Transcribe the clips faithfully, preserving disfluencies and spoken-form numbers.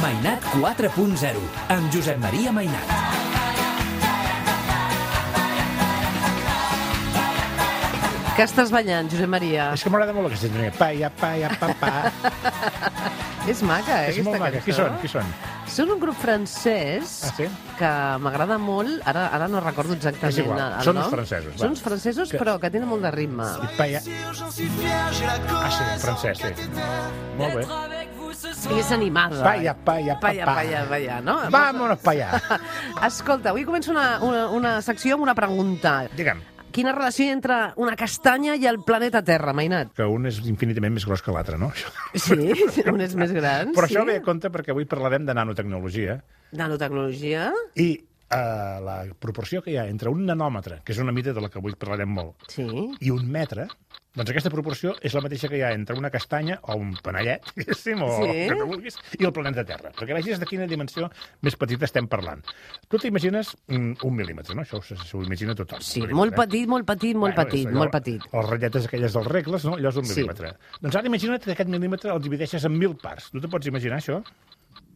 Mainat quatre punt zero, amb Josep Maria Mainat. Què estàs ballant, Josep Maria? És que m'agrada molt aquesta sintonia. Pa, ja, pa, ja, pa, pa. És maca, eh, És aquesta molt maca. cançó? Qui són? Qui són? Són un grup francès Ah, sí? que m'agrada molt, ara, ara no recordo exactament És igual, el són nom. uns francesos, va. Són uns francesos, Que- però que tenen molt de ritme. I pa, ja... Ah, sí, en francès, sí. Molt bé. I és animada. Pa, ja, pa, ja, pa, Palla, pa. palla, palla, no? Vámonos pa allà. Escolta, avui començo una, una, una secció amb una pregunta. Digue'm, Quina relació hi ha entre una castanya i el planeta Terra, Mainat? que un és infinitament més gros que l'altre, no? Sí, un és més gran, Però sí? això ve a compte perquè avui parlarem de nanotecnologia Nanotecnologia? i eh, la proporció que hi ha entre un nanòmetre, que és una mida de la que avui parlarem molt, Sí. i un metre, doncs aquesta proporció és la mateixa que hi ha entre una castanya o un panellet, diguéssim, o Sí. el que tu vulguis, i el planeta Terra. Perquè vegis de quina dimensió més petita estem parlant. Tu t'imagines mm, un mil·límetre, no? Això s'ho imagina tothom. Sí, un molt mil·límetre. petit, molt petit, molt Bueno, petit, és allò, molt petit. Les ratlletes aquelles dels regles, no? Allò és un Sí. mil·límetre. Doncs ara imagina't que aquest mil·límetre el divideixes en mil parts. Tu te pots imaginar això?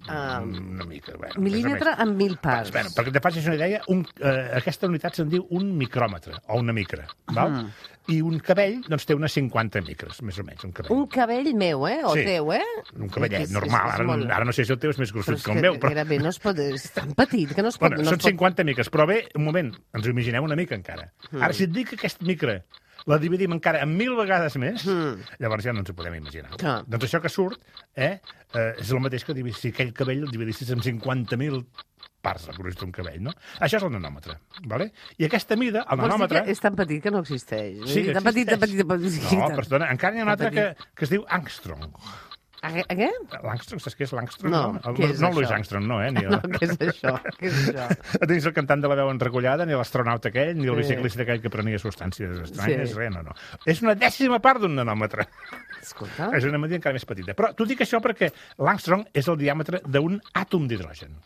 Um, Una mica, bueno. mil·límetre més o menys. en mil parts. Bueno, perquè te facis una idea, un, eh, aquesta unitat se'n diu un micròmetre, o una micra, val? Mm. I un cabell, doncs, té unes cinquanta micres, més o menys, un cabell. Un cabell meu, eh? O Sí. teu, eh? Un cavellet, És- és- normal. és Ara, molt- ara no sé si el teu és més Però gruixut és que el que meu, però... gairebé no es pot... És tan petit que no es pot... Bueno, no són es pot... cinquanta micres, però bé, un moment, ens ho imaginem una mica encara. Mm. Ara, si et dic que aquesta micra la dividim encara en mil vegades més, Mm. llavors ja no ens ho podem imaginar. Clar. Doncs això que surt eh, eh, és el mateix que divi- si aquell cabell el dividissis en cinquanta mil parts, el gruix d'un cabell, no? Això és el nanòmetre, vale? I aquesta mida, el Vols dir nanòmetre... que és tan petit que no existeix? Sí, tan petit, tan petit, existeix. tan petit. No, perdona, encara n'hi ha un Tan altre que, que es diu angstrom. A, què- a què? L'angstrom, saps què és l'angstrom? No, El- què és no el Louis això? Armstrong, no, eh? Ni No, què és això? Què és això? Dins el cantant de la veu enrecollada, ni l'astronauta aquell, ni el Sí. biciclista aquell que prenia substàncies estranyes, Sí. res, no, no. És una dècima part d'un nanòmetre. Escolta. És una medida encara més petita. Però t'ho dic això perquè l'angstrom és el diàmetre d'un àtom d'hidrogen.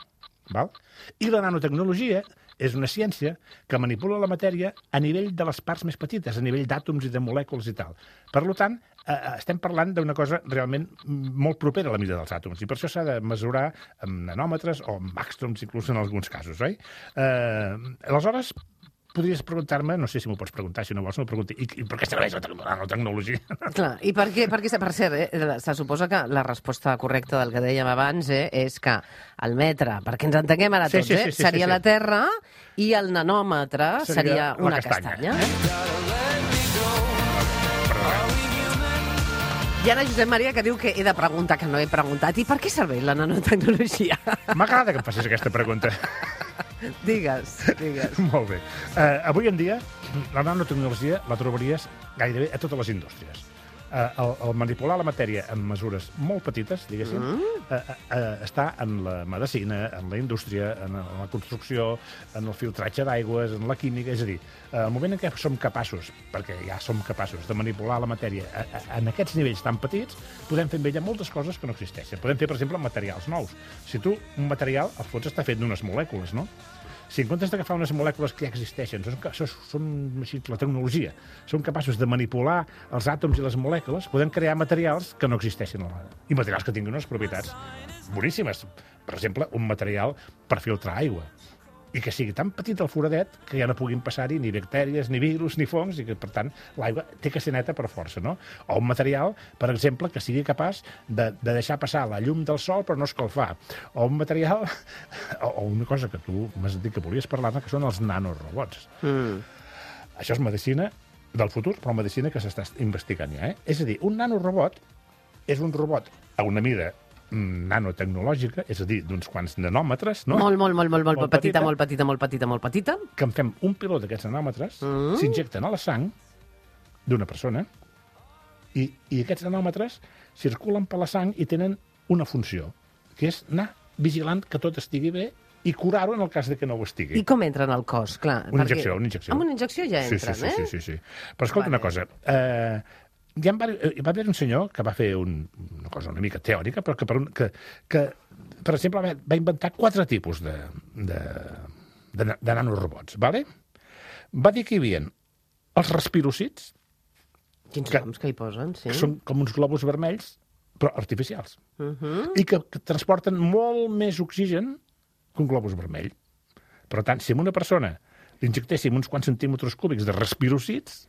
Val? I la nanotecnologia és una ciència que manipula la matèria a nivell de les parts més petites, a nivell d'àtoms i de molècules i tal. Per tant, eh, estem parlant d'una cosa realment molt propera a la mida dels àtoms, i per això s'ha de mesurar amb nanòmetres o amb angstroms, inclús en alguns casos, oi? Eh, aleshores, podries preguntar-me, no sé si m'ho pots preguntar, si no vols, m'ho pregunti, i, i per què serveix la tec- la nanotecnologia? Clar, i per què, per què per cert, eh, se suposa que la resposta correcta del que dèiem abans eh, és que el metre, perquè ens entenguem ara Sí, tots, sí, eh, sí, sí, seria sí, sí. la Terra i el nanòmetre seria, Seria la una castanya, castanya. Hi ha la Josep Maria que diu que he de preguntar, que no he preguntat. I per què serveix la nanotecnologia? M'agrada que em facis aquesta pregunta. digues, digues. Molt bé. Uh, avui en dia, la nanotecnologia la trobaries gairebé a totes les indústries. Uh, el, el manipular la matèria en mesures molt petites, diguéssim, mm. uh, uh, uh, està en la medicina, en la indústria, en la construcció, en el filtratge d'aigües, en la química... És a dir, uh, el moment en què som capaços, perquè ja som capaços de manipular la matèria a, a, en aquests nivells tan petits, podem fer amb ella moltes coses que no existeixen. Podem fer, per exemple, materials nous. Si tu, un material, al fons està fet d'unes molècules, no? Si en comptes d'agafar unes molècules que ja existeixen, són, són, són així, la tecnologia, són capaços de manipular els àtoms i les molècules, podem crear materials que no existeixen alhora. I materials que tinguin unes propietats boníssimes. Per exemple, un material per filtrar aigua. I que sigui tan petit el foradet que ja no puguin passar-hi ni bactèries, ni virus, ni fongs, i que, per tant, l'aigua té que ser neta per força, no? O un material, per exemple, que sigui capaç de, de deixar passar la llum del sol però no escalfar. O un material... O, o una cosa que tu m'has dit que volies parlar-ne, que són els nanorobots. Mm. Això és medicina del futur, però medicina que s'està investigant ja, eh? És a dir, un nanorobot és un robot a una mida nanotecnològica, és a dir, d'uns quants nanòmetres, no? Molt, molt, molt, molt, molt, Molt petita, petita. molt petita, molt petita, molt petita. Que en fem un piló d'aquests nanòmetres, Mm. s'injecten a la sang d'una persona i, i aquests nanòmetres circulen per la sang i tenen una funció, que és anar vigilant que tot estigui bé i curar-ho en el cas de que no ho estigui. I com entra en el cos? Clar, Una perquè- injecció, una injecció. Amb una injecció ja Sí, entren, sí, sí, eh? sí, sí, sí. Però escolta Vale. una cosa, eh, hi, ha, hi va haver un senyor que va fer un, una cosa una mica teòrica, però que, per, un, que, que per exemple, va, va inventar quatre tipus de, de, de, de nanorobots, ¿vale? Va dir que hi havia els respirocits, Quins que- noms que hi posen, sí. que són com uns globus vermells però artificials, Uh -huh. i que, que transporten molt més oxigen que un globus vermell. Per tant, si a una persona li injectéssim uns quants centímetres cúbics de respirocids,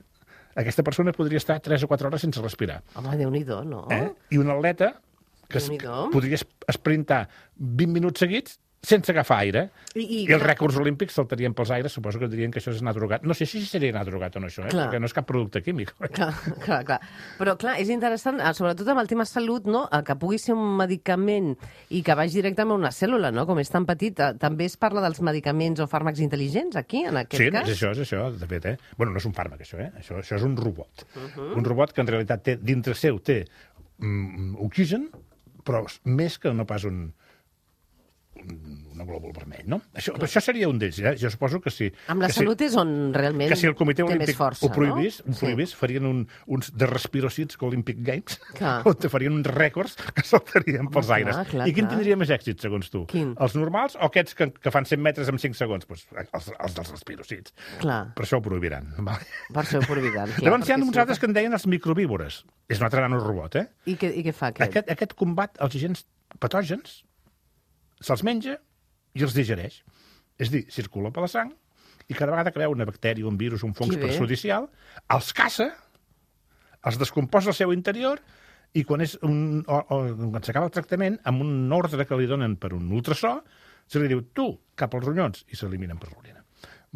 aquesta persona podria estar tres o quatre hores sense respirar. Home, Déu-n'hi-do, no? Eh? I un atleta que es, Déu-n'hi-do. podria es- esprintar vint minuts seguits sense agafar aire. I, i, I els rècords olímpics saltarien pels aires, suposo que dirien que això és anar drogat. No sé si seria anar drogat o no, això, eh? Clar. Perquè no és cap producte químic. Clar, clar, clar. Però, clar, és interessant, eh, sobretot amb el tema salut, no? Eh, que pugui ser un medicament i que vagi directament a una cèl·lula, no? Com és tan petit. eh, També es parla dels medicaments o fàrmacs intel·ligents, aquí, en aquest Sí, cas? és això, és això, de fet, eh? Bueno, no és un fàrmac, això, eh? Això, això és un robot. Uh -huh. Un robot que en realitat té, dintre seu té mm, oxigen, però més que no pas un, un, un glòbul vermell, no? Això, això seria un d'ells, eh? Jo suposo que sí. Amb la que salut és on realment que si el Comitè té més Olímpic força, ho prohibís, no? ho prohibís sí. farien un, uns de respirocids Olympic Games, Clar. on te farien uns rècords que saltarien pels clar, aires. clar, I quin clar. tindria més èxit, segons tu? Quin? Els normals o aquests que, que fan cent metres en cinc segons? Pues, els, els dels respirocids. Clar, Per això ho prohibiran. Vale? per això ho prohibiran. Clar, Llavors hi ha perquè uns si no- altres que en deien els microvívores. És un altre nanorobot, eh? I què, I què fa aquest? Aquest, aquest combat els agents patògens, se'ls menja i els digereix. És a dir, circula per la sang i cada vegada que veu una bactèria, un virus, un fong Que bé. perjudicial, els caça, els descomposa al seu interior i quan, és un, o, o, quan s'acaba el tractament, amb un ordre que li donen per un ultrasò, se li diu, tu, cap als ronyons, i s'eliminen per l'orina.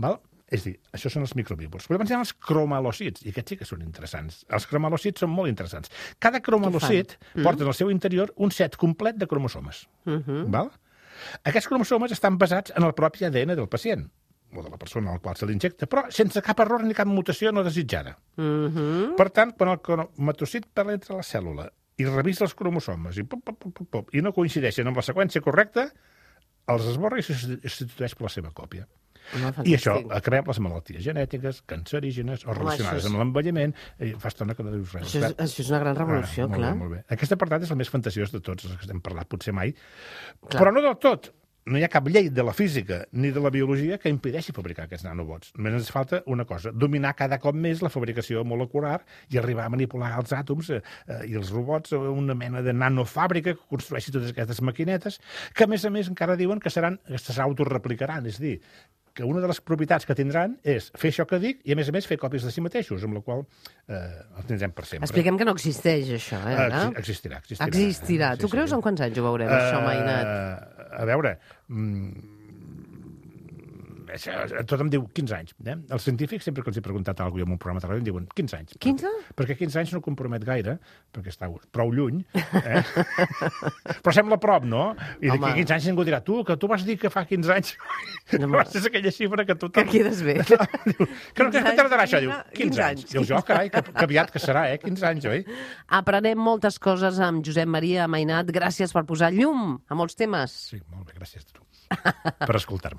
Val? És a dir, això són els microvívors. Però llavors hi ha els cromalòcits, i aquests sí que són interessants. Els cromalòcits són molt interessants. Cada cromalòcit Mm. porta en el seu interior un set complet de cromosomes. Uh -huh. Val? Aquests cromosomes estan basats en el propi A D N del pacient, o de la persona al qual se l'injecta, però sense cap error ni cap mutació no desitjada. Uh -huh. Per tant, quan el cromatocit penetra la cèl·lula i revisa els cromosomes i, pop, pop, pop, pop, pop, i no coincideixen amb la seqüència correcta, els esborra i se substitueix per la seva còpia. Home, I això fantàstic. acabem les malalties genètiques, cancerígenes o relacionades això és- amb l'envelliment. I fa estona que no dius res. Això és, això és una gran revolució, Ah, molt clar. Bé, molt bé. Aquest apartat és el més fantasiós de tots els que hem parlat potser mai. Clar. Però no del tot. No hi ha cap llei de la física ni de la biologia que impedeixi fabricar aquests nanobots. Només ens falta una cosa, dominar cada cop més la fabricació molecular i arribar a manipular els àtoms eh, eh, i els robots a una mena de nanofàbrica que construeixi totes aquestes maquinetes, que a més a més encara diuen que seran que s'autoreplicaran, és a dir, que una de les propietats que tindran és fer això que dic i, a més a més, fer còpies de si mateixos, amb la qual eh, els tindrem per sempre. Expliquem que no existeix, això, eh, Eh, ara? exi- Existirà, existirà. Existirà. Tu creus en quants anys ho veurem, això, Mainat? Eh, a veure, mm, això, tot em diu quinze anys. Eh? Els científics, sempre que els he preguntat alguna cosa en un programa de ràdio, em diuen quinze anys. quinze? Perquè quinze anys no compromet gaire, perquè està prou lluny, eh? però sembla a prop, no? I d'aquí Home. quinze anys ningú dirà, tu, que tu vas dir que fa quinze anys, No, no, és aquella xifra que tothom... Que quedes bé. Diu, que no, que quinze tardarà anys, això? Diu, quinze quinze anys. anys. Dius, jo, carai, que, que aviat que serà, eh? quinze anys, oi? Aprenem moltes coses amb Josep Maria Mainat. Gràcies per posar llum a molts temes. Sí, molt bé, gràcies a tu per escoltar-me.